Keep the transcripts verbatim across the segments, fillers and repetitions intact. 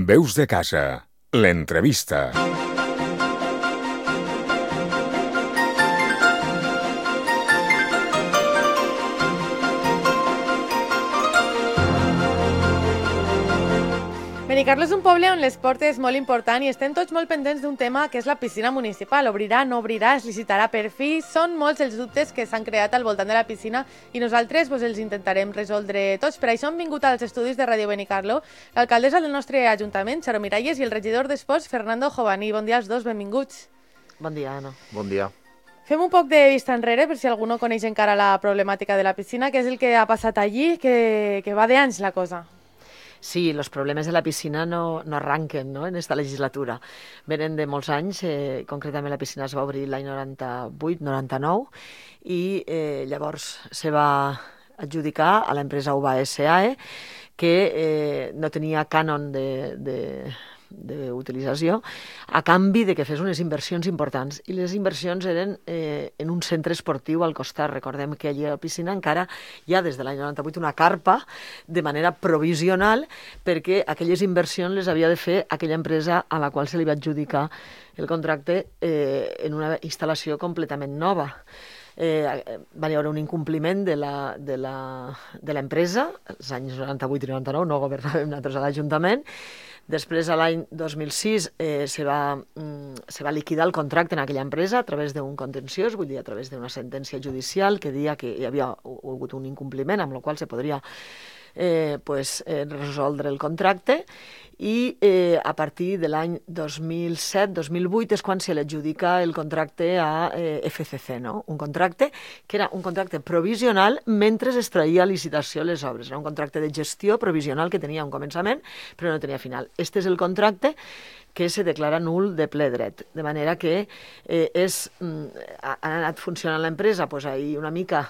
Veus de casa, l'entrevista. Benicarló és un poble on l'esport és molt important i estem tots molt pendents d'un tema que és la piscina municipal. Obrirà, no obrirà, es licitarà per fi? Són molts els dubtes que s'han creat al voltant de la piscina i nosaltres pues, els intentarem resoldre tots. Per això hem vingut als estudis de Ràdio Benicarló l'alcaldessa del nostre ajuntament, Charo Miralles, i el regidor d'Esports, Fernando Jovani. Bon dia als dos, benvinguts. Bon dia, Anna. Bon dia. Fem un poc de vista enrere, per si algú no coneix encara la problemàtica de la piscina, què és el que ha passat allí, que, que va d'anys la cosa. Sí, los problemes de la piscina no, no arranquen, ¿no?, en esta legislatura. Venen de molts anys, eh, concretament la piscina es va obrir l'any noranta-vuit noranta-nou i eh, llavors se va adjudicar a l'empresa U B A S A E, que eh, no tenia cànon de... de d'utilització, a canvi de que fes unes inversions importants. I les inversions eren eh, en un centre esportiu al costat. Recordem que allí a la piscina encara hi ha des de l'any noranta-vuit una carpa de manera provisional perquè aquelles inversions les havia de fer aquella empresa a la qual se li va adjudicar el contracte eh, en una instal·lació completament nova. Eh, va haver un incompliment de la, de la, de l'empresa, els anys noranta-vuit i noranta-nou, no governàvem nosaltres a l'Ajuntament. Després, a l'any dos mil sis, eh, se, va, mm, se va liquidar el contracte en aquella empresa a través d'un contenciós, vull dir, a través d'una sentència judicial que deia que hi havia hagut un incompliment, amb el qual se podria eh, pues, eh, resoldre el contracte. I eh, a partir de l'any dos mil set dos mil vuit és quan se li adjudica el contracte a eh, F C C, no? Un contracte que era un contracte provisional mentre es traïa a licitació les obres. Era un contracte de gestió provisional que tenia un començament però no tenia final. Este és el contracte que se declara nul de ple dret. De manera que eh, és, ha, ha anat funcionant l'empresa pues, ahí una mica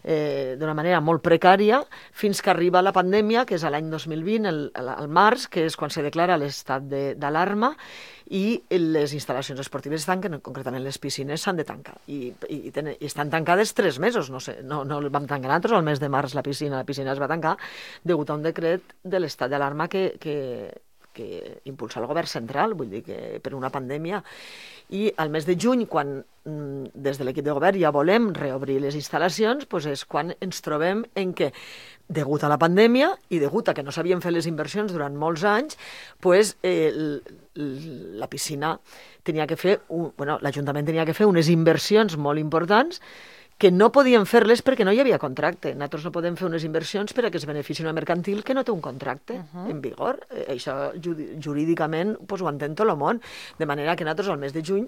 eh, d'una manera molt precària fins que arriba la pandèmia, que és l'any dos mil vint, el, el març, que és quan se declara l'estat d'alarma i les instal·lacions esportives estan, concretament les piscines, s'han de tancar. I, i, i estan tancades tres mesos. No sé, no, no vam tancar nosaltres, al mes de març la piscina, la piscina es va tancar degut a un decret de l'estat d'alarma que... que que impulsa el govern central, vull dir que per una pandèmia. I al mes de juny, quan des de l'equip de govern ja volem reobrir les instal·lacions, doncs és quan ens trobem en què, degut a la pandèmia i degut a que no s'havien fet les inversions durant molts anys, doncs, eh, la piscina tenia que fer, un, bueno, l'Ajuntament tenia que fer unes inversions molt importants que no podien fer-les perquè no hi havia contracte. Nosaltres no podem fer unes inversions per a que es benefici una mercantil que no té un contracte uh-huh. en vigor. Eh, això jurídicament pues, ho entén tot el món. De manera que nosaltres al mes de juny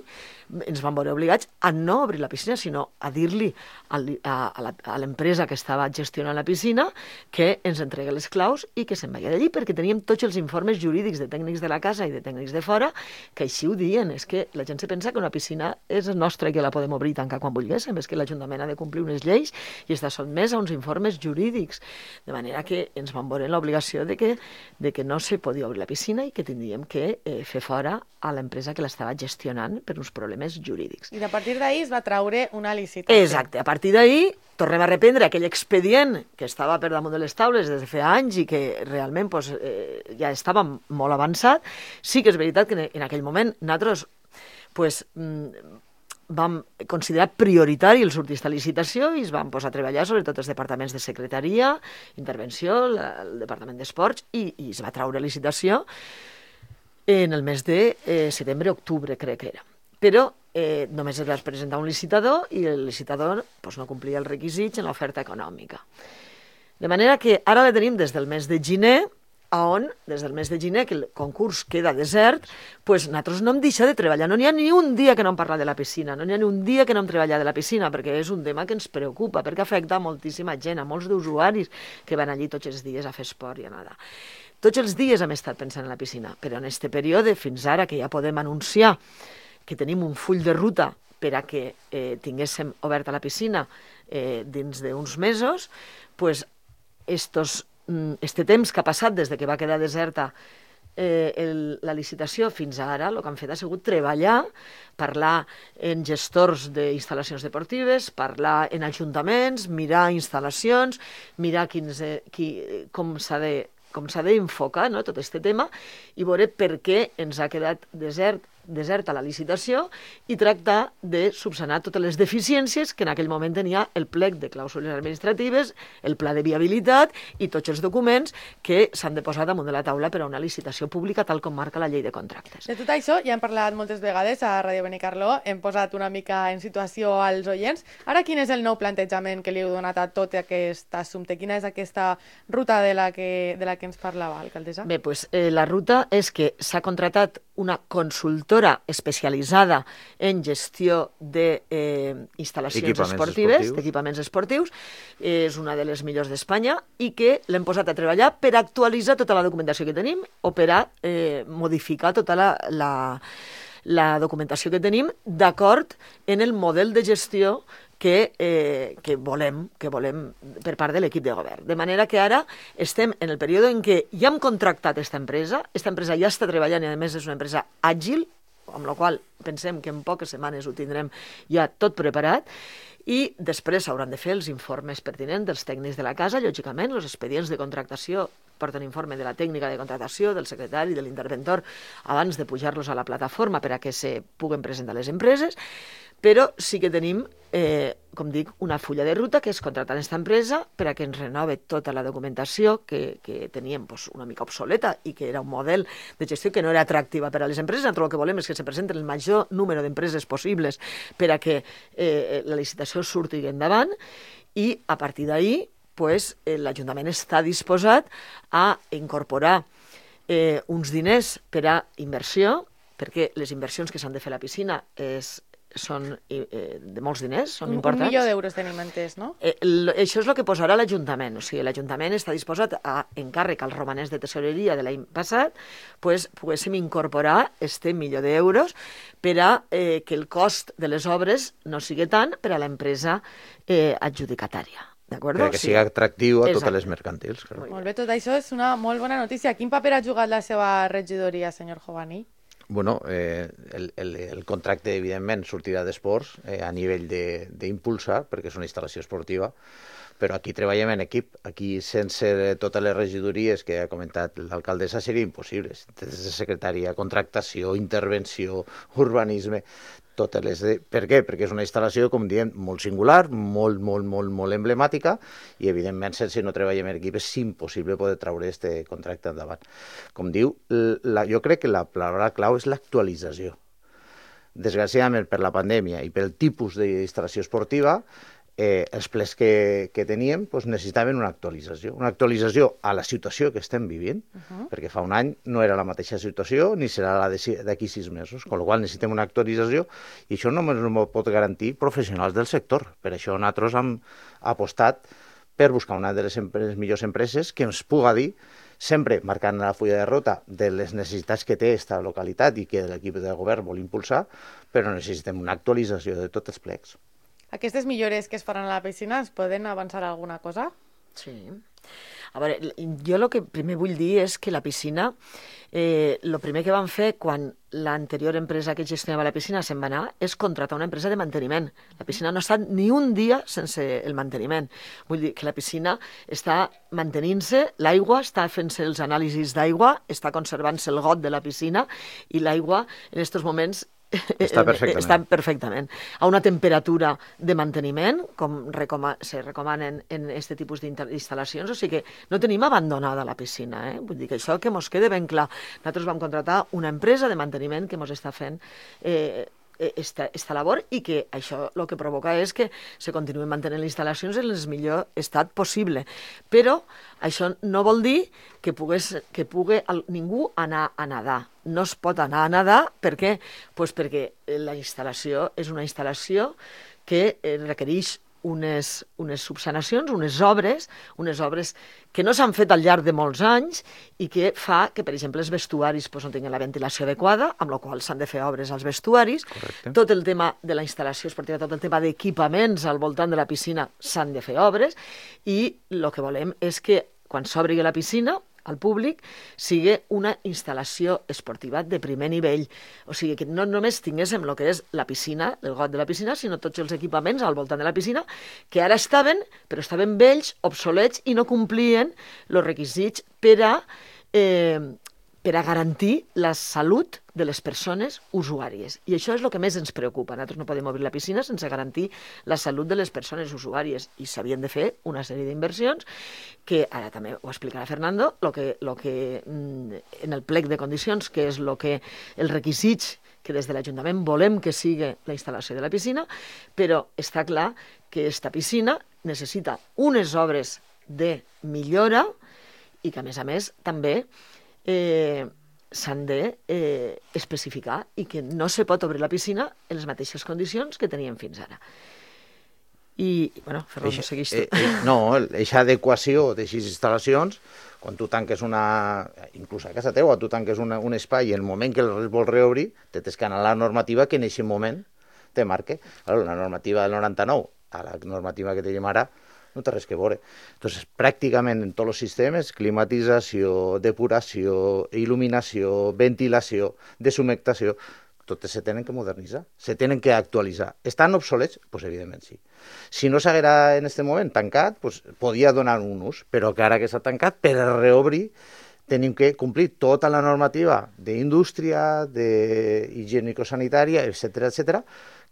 ens vam veure obligats a no obrir la piscina, sinó a dir-li a, a, a l'empresa que estava gestionant la piscina que ens entregui les claus i que se'n vagi d'allí, perquè teníem tots els informes jurídics de tècnics de la casa i de tècnics de fora que així ho diuen. És que la gent se pensa que una piscina és nostra i que la podem obrir i tancar quan volguéssim. És que l'Ajuntament ha de complir unes lleis i està sotmès a uns informes jurídics. De manera que ens vam veure l'obligació de que, de que no se podia obrir la piscina i que tindríem que eh, fer fora a l'empresa que l'estava gestionant per uns problemes jurídics. I a partir d'ahir es va traure una licitació. Exacte. A partir d'ahir tornem a reprendre aquell expedient que estava per damunt de les taules des de fa anys i que realment pues, eh, ja estava molt avançat. Sí que és veritat que en aquell moment nosaltres pues, vam considerar prioritari el sortir a licitació i es van posar a treballar sobretot els departaments de secretaria, intervenció, la, el departament d'esports i, i es va traure licitació en el mes de eh, setembre-octubre, crec que era. Però eh, només es va presentar un licitador i el licitador pues, no complia els requisits en l'oferta econòmica. De manera que ara la tenim des del mes de gener, on, des del mes de gener, que el concurs queda desert, pues nosaltres no hem deixat de treballar. No n'hi ha ni un dia que no hem parlat de la piscina, no n'hi ha ni un dia que no hem treballat de la piscina, perquè és un tema que ens preocupa, perquè afecta a moltíssima gent, a molts d'usuaris que van allí tots els dies a fer esport i a nedar. Tots els dies hem estat pensant en la piscina, però en aquest període, fins ara, que ja podem anunciar que tenim un full de ruta per a que eh, tinguéssim oberta la piscina eh, dins d'uns mesos, pues, estos este temps que ha passat des de que va quedar deserta eh, el, la licitació fins ara, el que han fet ha sigut treballar, parlar en gestors d'instal·lacions deportives, parlar en ajuntaments, mirar instal·lacions, mirar quins, eh, qui, com s'ha de com s'ha d'enfocar, no?, tot aquest tema i veure per què ens ha quedat desert deserta la licitació i tractar de subsanar totes les deficiències que en aquell moment tenia el plec de clàusules administratives, el pla de viabilitat i tots els documents que s'han de posar damunt de la taula per a una licitació pública tal com marca la llei de contractes. De tot això ja hem parlat moltes vegades a Ràdio Benicarló, hem posat una mica en situació als oients. Ara, quin és el nou plantejament que li heu donat a tot aquest assumpte? Quina és aquesta ruta de la que, de la que ens parlava, alcaldessa? Bé, doncs eh, la ruta és que s'ha contractat una consultora especialitzada en gestió d'instal·lacions eh, esportives, d'equipaments esportius, és una de les millors d'Espanya i que l'hem posat a treballar per actualitzar tota la documentació que tenim o per a eh, modificar tota la, la, la documentació que tenim d'acord en el model de gestió que, eh, que, volem, que volem per part de l'equip de govern. De manera que ara estem en el període en què ja hem contractat aquesta empresa, aquesta empresa ja està treballant i a més és una empresa àgil, amb la qual pensem que en poques setmanes ho tindrem ja tot preparat, i després s'hauran de fer els informes pertinents dels tècnics de la casa, lògicament, els expedients de contractació porten informe de la tècnica de contractació, del secretari, de l'interventor, abans de pujar-los a la plataforma per a que se puguen presentar les empreses, però sí que tenim, eh, com dic, una fulla de ruta que és contractar aquesta empresa per a que ens renove tota la documentació que, que teníem pues, una mica obsoleta i que era un model de gestió que no era atractiva per a les empreses. Nosaltres el que volem és que se presenten el major número d'empreses possibles per a que eh, la licitació surti endavant i a partir d'ahir pues, eh, l'Ajuntament està disposat a incorporar eh, uns diners per a inversió, perquè les inversions que s'han de fer a la piscina és són eh, de molts diners, són un, importants. Un milió d'euros tenim entès, no? Eh, l, això és el que posarà l'Ajuntament. O sigui, l'Ajuntament està disposat a encàrrec als romanents de tesoreria de l'any passat, pues, poguéssim incorporar este milió d'euros per a eh, que el cost de les obres no sigui tant per a l'empresa eh, adjudicatària. Per que sigui atractiu a Exacte. totes les mercantils. Clar. Molt bé, tot això és una molt bona notícia. Quin paper ha jugat la seva regidoria, senyor Jovani? Bueno, eh, el, el, el contracte, evidentment, sortirà d'esports eh, a nivell d'impulsar, perquè és una instal·lació esportiva, però aquí treballem en equip. Aquí, sense totes les regidories que ha comentat l'alcaldessa, seria impossible. Des de secretaria, contractació, intervenció, urbanisme, totes les... De... Per què? Perquè és una instal·lació, com diem, molt singular, molt, molt, molt, molt emblemàtica i, evidentment, sense no treballem en equip és impossible poder treure aquest contracte endavant. Com diu, la... jo crec que la paraula clau és l'actualització. Desgraciadament, per la pandèmia i pel tipus d'instal·lació esportiva, eh, els plets que, que teníem pues, necessitaven una actualització. Una actualització a la situació que estem vivint, uh-huh. perquè fa un any no era la mateixa situació ni serà la d'aquí sis mesos, amb la qual necessitem una actualització i això només no pot garantir professionals del sector. Per això nosaltres hem apostat per buscar una de les, les millors empreses que ens puga dir, sempre marcant la fulla de ruta de les necessitats que té aquesta localitat i que l'equip de govern vol impulsar, però necessitem una actualització de tots els plecs. Aquestes millores que es faran a la piscina es poden avançar alguna cosa? Sí. A veure, jo el que primer vull dir és que la piscina, eh, el primer que van fer quan l'anterior empresa que gestionava la piscina se'n va anar és contractar una empresa de manteniment. La piscina no ha estat ni un dia sense el manteniment. Vull dir que la piscina està mantenint-se, l'aigua està fent-se els anàlisis d'aigua, està conservant-se el got de la piscina i l'aigua en aquests moments Està perfectament. Està perfectament. A una temperatura de manteniment, com recoma se recomanen en aquest tipus d'instal·lacions, o sigui que no tenim abandonada la piscina. Eh? Vull dir que això que mos quede ben clar. Nosaltres vam contractar una empresa de manteniment que mos està fent eh, esta, esta labor i que això el que provoca és que se continuïn mantenint les instal·lacions en el millor estat possible. Però això no vol dir que, pogués, que pugui el, ningú anar a nedar. No es pot anar a nedar, per què? Pues perquè la instal·lació és una instal·lació que requereix unes, unes subsanacions, unes obres, unes obres que no s'han fet al llarg de molts anys i que fa que, per exemple, els vestuaris pues, no tinguin la ventilació adequada, amb la qual s'han de fer obres als vestuaris. Correcte. Tot el tema de la instal·lació esportiva, tot el tema d'equipaments al voltant de la piscina s'han de fer obres i el que volem és que quan s'obri la piscina al públic sigui una instal·lació esportiva de primer nivell. O sigui, que no només tinguéssim el que és la piscina, el got de la piscina, sinó tots els equipaments al voltant de la piscina, que ara estaven, però estaven vells, obsolets, i no complien els requisits per a, eh, per a garantir la salut de les persones usuàries. I això és el que més ens preocupa. Nosaltres no podem obrir la piscina sense garantir la salut de les persones usuàries, i s'havien de fer una sèrie d'inversions que, ara també ho explicarà Fernando, lo que, lo que, en el plec de condicions, que és lo que, els requisits que des de l'Ajuntament volem que sigui la instal·lació de la piscina, però està clar que aquesta piscina necessita unes obres de millora i que, a més a més, també eh, s'han de eh, especificar i que no se pot obrir la piscina en les mateixes condicions que teníem fins ara. I, bueno, Ferran, segueix tu. Eh, eh, no, aquesta adequació d'aixes instal·lacions, quan tu tanques una... inclús a casa teua, tu tanques una, un espai i en el moment que el vols reobrir, te tens que anar a la normativa que en aquest moment te marque. Claro, la normativa del noranta-nou a la normativa que tenim ara no té res que veure. Entonces, pràcticament en tots els sistemes, climatització, depuració, il·luminació, ventilació, deshumectació, totes se tenen que modernitzar, se tenen que actualitzar. Estan obsolets? Doncs pues, evidentment sí. Si no s'haguera en aquest moment tancat, pues, podia donar un ús, però que ara que s'ha tancat, per reobrir, tenim que complir tota la normativa d'indústria, d'higiènico-sanitària, etcètera, etcètera,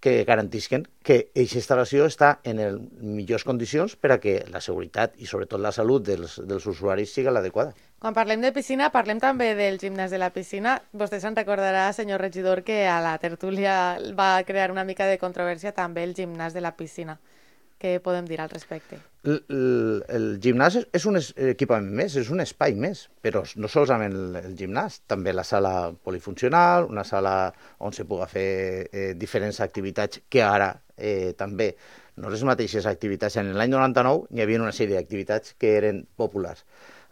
que garantisquen que aquesta instal·lació està en les millors condicions per a que la seguretat i sobretot la salut dels, dels usuaris sigui l'adequada. Quan parlem de piscina, parlem també del gimnàs de la piscina. Vostè se'n recordarà, senyor regidor, que a la tertúlia va crear una mica de controvèrsia també el gimnàs de la piscina. Què podem dir al respecte? El, el, el gimnàs és un equipament més, és un espai més, però no solament el, el gimnàs, també la sala polifuncional, una sala on se pugui fer eh, diferents activitats que ara eh, també no les mateixes activitats. En l'any noranta-nou hi havia una sèrie d'activitats que eren populars.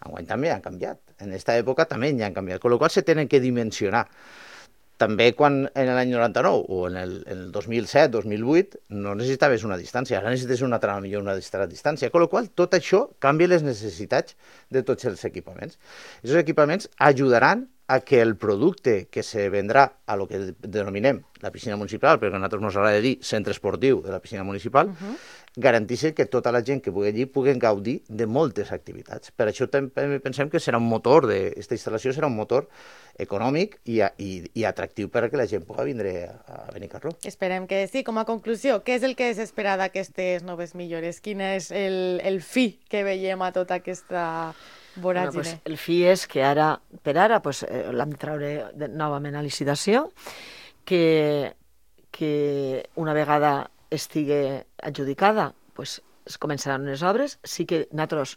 Enguany també han canviat. En aquesta època també hi han canviat, amb la qual cosa se tenen que dimensionar. També quan en l'any noranta-nou o en el, en el dos mil set, dos mil vuit no necessitaves una distància, ara necessites una altra millor una altra distància, amb la qual cosa tot això canvia les necessitats de tots els equipaments. Aquests equipaments ajudaran a que el producte que se vendrà a lo que denominem la piscina municipal, perquè a nosaltres ens agrada dir centre esportiu de la piscina municipal, uh-huh. garanteixi que tota la gent que pugui allí pugui gaudir de moltes activitats. Per això també pensem que serà un motor, aquesta instal·lació serà un motor econòmic i, i, i atractiu per a que la gent pugui vindre a Benicarló. Esperem que sí. Com a conclusió, què és el que s'espera d'aquestes noves millores? Quin és el, el fi que veiem a tota aquesta voràgine? Bueno, pues, el fi és que ara, per ara, pues, eh, l'hem de traure de, novament a licitació, que, que una vegada estigui adjudicada, pues, es començaran unes obres. Sí que nosaltres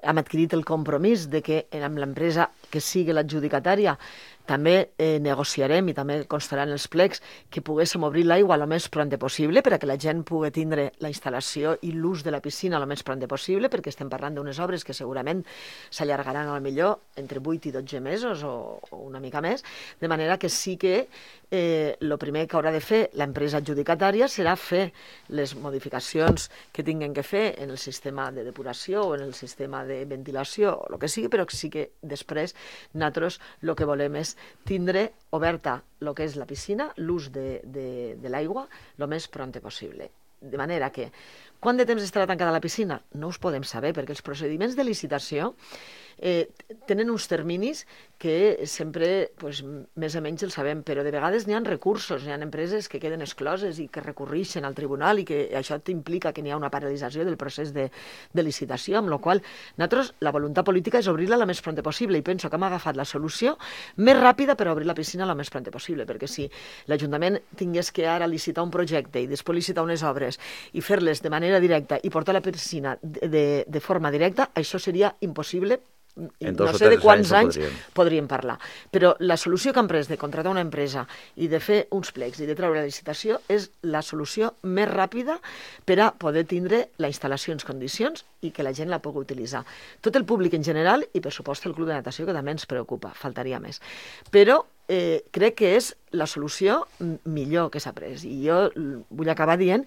hem adquirit el compromís de que amb l'empresa que sigui l'adjudicatària també eh, negociarem i també constarà en els plecs que poguéssim obrir l'aigua el més pront possible per a que la gent pugui tindre la instal·lació i l'ús de la piscina el més pront possible, perquè estem parlant d'unes obres que segurament s'allargaran a lo millor entre vuit i dotze mesos o, o una mica més, de manera que sí que eh, el primer que haurà de fer l'empresa adjudicatària serà fer les modificacions que tinguin que fer en el sistema de depuració o en el sistema de ventilació o el que sigui, però sí que després nosaltres el que volem és tindre oberta el que és la piscina, l'ús de, de, de l'aigua, el més pront possible. De manera que, quant de temps estarà tancada la piscina? No us podem saber, perquè els procediments de licitació eh, tenen uns terminis que sempre pues, més o menys els sabem, però de vegades n'hi ha recursos, n'hi ha empreses que queden excloses i que recurreixen al tribunal i que això implica que n'hi ha una paralització del procés de, de licitació, amb la qual nosaltres la voluntat política és obrir-la el més pront possible i penso que hem agafat la solució més ràpida per obrir la piscina el més pront possible, perquè si l'Ajuntament tingués que ara licitar un projecte i després licitar unes obres i fer-les de manera directa i portar la piscina de, de, de forma directa, això seria impossible. No sé de quants anys, anys podríem parlar, però la solució que han pres de contractar una empresa i de fer uns plecs i de treure la licitació és la solució més ràpida per a poder tindre la instal·lació en condicions i que la gent la pugui utilitzar. Tot el públic en general i per supost el club de natació, que també ens preocupa, faltaria més. Però eh, crec que és la solució millor que s'ha pres. I jo vull acabar dient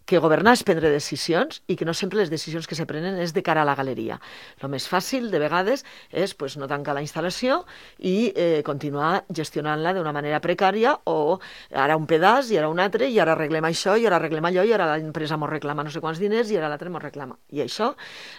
que governar és prendre decisions i que no sempre les decisions que se prenen és de cara a la galeria. El més fàcil, de vegades, és pues, no tancar la instal·lació i eh, continuar gestionant-la d'una manera precària o ara un pedaç i ara un altre i ara arreglem això i ara arreglem allò i ara l'empresa mos reclama no sé quants diners i ara l'altre mos reclama. I això,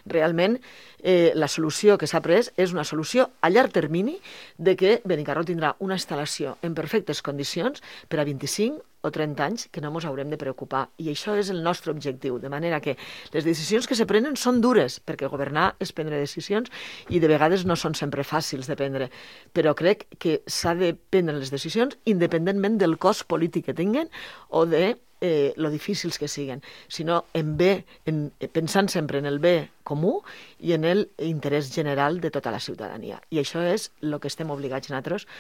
realment, eh, la solució que s'ha pres és una solució a llarg termini de que Benicarló tindrà una instal·lació en perfectes condicions per a vint-i-cinc o trenta anys que no ens haurem de preocupar. I això és el nostre objectiu, de manera que les decisions que se prenen són dures, perquè governar és prendre decisions i de vegades no són sempre fàcils de prendre, però crec que s'ha de prendre les decisions independentment del cost polític que tinguen o de eh, lo difícils que siguen, sinó en bé, en, pensant sempre en el bé comú i en el interès general de tota la ciutadania. I això és el que estem obligats nosaltres,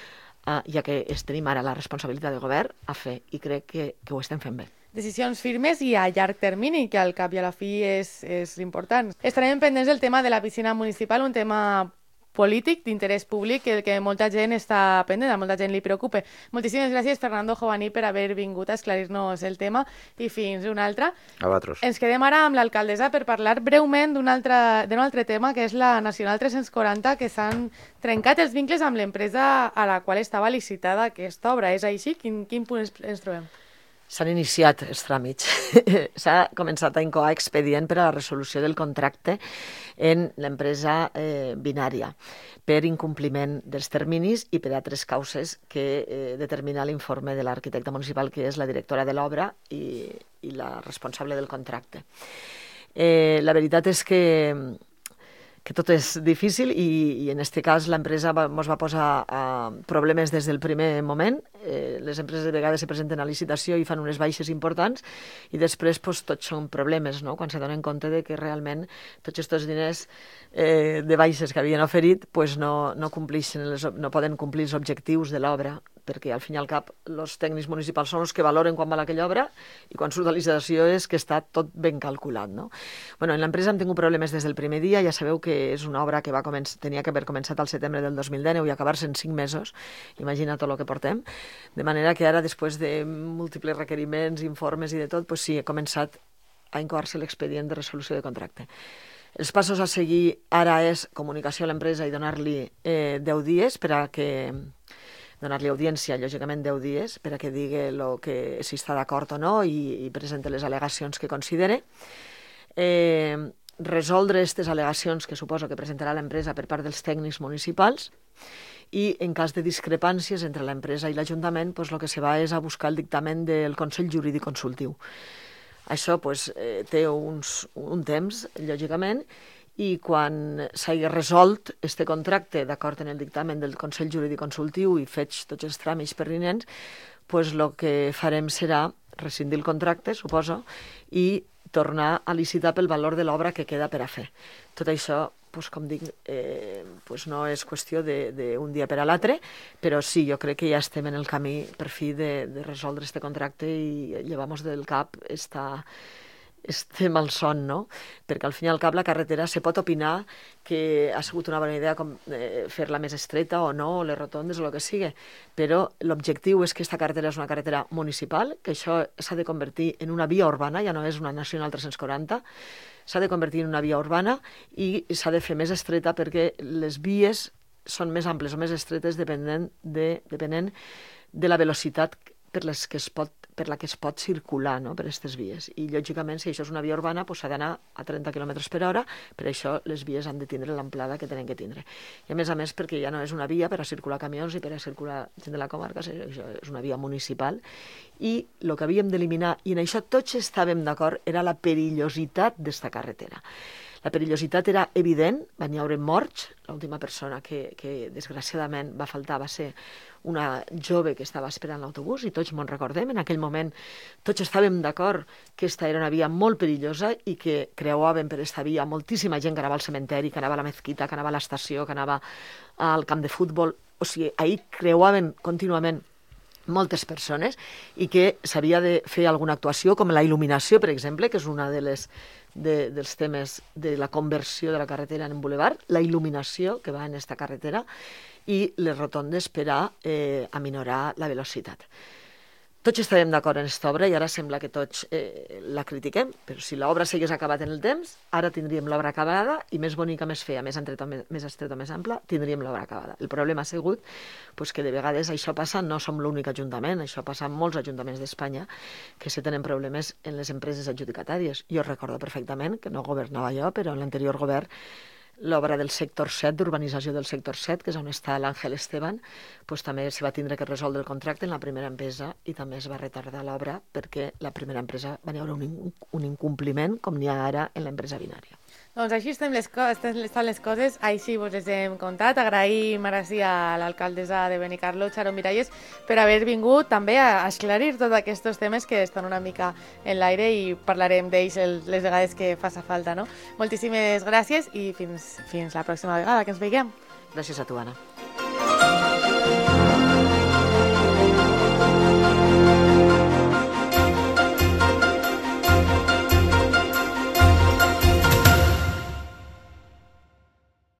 Uh, ja que es tenim ara la responsabilitat de govern, a fer, i crec que, que ho estem fent bé. Decisions firmes i a llarg termini, que al cap i a la fi és, és important. Estarem pendents del tema de la piscina municipal, un tema polític d'interès públic que, que molta gent està pendent, a molta gent li preocupa. Moltíssimes gràcies, Fernando Jovaní, per haver vingut a esclarir-nos el tema i fins una altra. A vosaltres. Ens quedem ara amb l'alcaldessa per parlar breument d'un altre, d'un altre tema, que és la Nacional tres-cents quaranta, que s'han trencat els vincles amb l'empresa a la qual estava licitada aquesta obra. És així? Quin, quin punt ens, ens trobem? S'han iniciat els tràmits. S'ha començat a incoar expedient per a la resolució del contracte en l'empresa eh, binària per incompliment dels terminis i per altres causes que eh, determina l'informe de l'arquitecte municipal, que és la directora de l'obra i, i la responsable del contracte. Eh, la veritat és que que tot és difícil i, i en aquest cas l'empresa ens va posar uh, problemes des del primer moment. Eh, les empreses de vegades se presenten a licitació i fan unes baixes importants i després pues, tots són problemes, no? Quan se donen compte de que realment tots aquests diners eh, de baixes que havien oferit pues, no, no, complixen les, no poden complir els objectius de l'obra, perquè al fin i al cap els tècnics municipals són els que valoren quan val aquella obra i quan surt de licitació és que està tot ben calculat. No? Bueno, en l'empresa hem tingut problemes des del primer dia, ja sabeu que és una obra que va començar, tenia que haver començat al setembre del dos mil dinou i acabar-se en cinc mesos, imagina tot el que portem, de manera que ara, després de múltiples requeriments, informes i de tot, pues sí, he començat a incoar-se l'expedient de resolució de contracte. Els passos a seguir ara és comunicació a l'empresa i donar-li eh, deu dies per a que donar-li audiència, lògicament deu dies, per a que digui lo que, si està d'acord o no i, i presenti les al·legacions que considere. Eh, resoldre aquestes al·legacions que suposo que presentarà l'empresa per part dels tècnics municipals i en cas de discrepàncies entre l'empresa i l'Ajuntament, pues, el que se va és a buscar el dictamen del Consell Jurídic Consultiu. Això pues, eh, té uns, un temps, lògicament, i quan s'hagi resolt este contracte d'acord en el dictamen del Consell Jurídic Consultiu i fets tots els tràmits pertinents, pues el que farem serà rescindir el contracte, suposo, i tornar a licitar pel valor de l'obra que queda per a fer. Tot això, pues, com dic, eh, pues no és qüestió d'un dia per a l'altre, però sí, jo crec que ja estem en el camí per fi de, de resoldre este contracte i llevar-nos del cap esta... este malson, no? Perquè al fin i al cap la carretera se pot opinar que ha sigut una bona idea com, eh, fer-la més estreta o no, o les rotondes o el que sigui, però l'objectiu és que aquesta carretera és una carretera municipal, que això s'ha de convertir en una via urbana, ja no és una Nacional tres-cents quaranta, s'ha de convertir en una via urbana i s'ha de fer més estreta perquè les vies són més amples o més estretes depenent de, depenent de la velocitat per, les que es pot, per la que es pot circular, no?, per aquestes vies. I, lògicament, si això és una via urbana, doncs s'ha d'anar a trenta quilòmetres per hora, per això les vies han de tindre l'amplada que tenen que tindre. I, a més a més, perquè ja no és una via per a circular camions i per a circular gent de la comarca, això és una via municipal. I el que havíem d'eliminar, i en això tots estàvem d'acord, era la perillositat d'esta carretera. La perillositat era evident, van hi haure morts, l'última persona que, que desgraciadament va faltar va ser una jove que estava esperant l'autobús i tots me'n recordem, en aquell moment tots estàvem d'acord que aquesta era una via molt perillosa i que creuaven per aquesta via moltíssima gent que anava al cementeri, que anava a la mezquita, que anava a l'estació, que anava al camp de futbol, o sigui, ahir creuaven contínuament moltes persones, i que s'havia de fer alguna actuació, com la il·luminació, per exemple, que és una de les, de, dels temes de la conversió de la carretera en bulevard, la il·luminació que va en esta carretera, i les rotondes per a eh, aminorar la velocitat. Tots estàvem d'acord en aquesta obra i ara sembla que tots eh, la critiquem, però si l'obra s'hagués acabat en el temps, ara tindríem l'obra acabada i més bonica, més fea, més estreta, més, estreta, més ampla, tindríem l'obra acabada. El problema ha sigut pues, que de vegades això passa, no som l'únic ajuntament, això passa en molts ajuntaments d'Espanya, que se tenen problemes en les empreses adjudicatàries. Jo recordo perfectament que no governava jo, però en l'anterior govern l'obra del sector set, d'urbanització del sector set, que és on està l'Àngel Esteban, pues, també se va tindre que resoldre el contracte en la primera empresa i també es va retardar l'obra perquè la primera empresa va haver un, un incompliment com n'hi ha ara en l'empresa binària. Doncs així estem les, co estan les coses, així vos les hem contat. Agraïm ara sí a l'alcaldessa de Benicarló, Charo Miralles, per haver vingut també a esclarir tots aquests temes que estan una mica en l'aire i parlarem d'ells les vegades que faça falta, no? Moltíssimes gràcies i fins, fins la pròxima vegada que ens veiem. Gràcies a tu, Anna.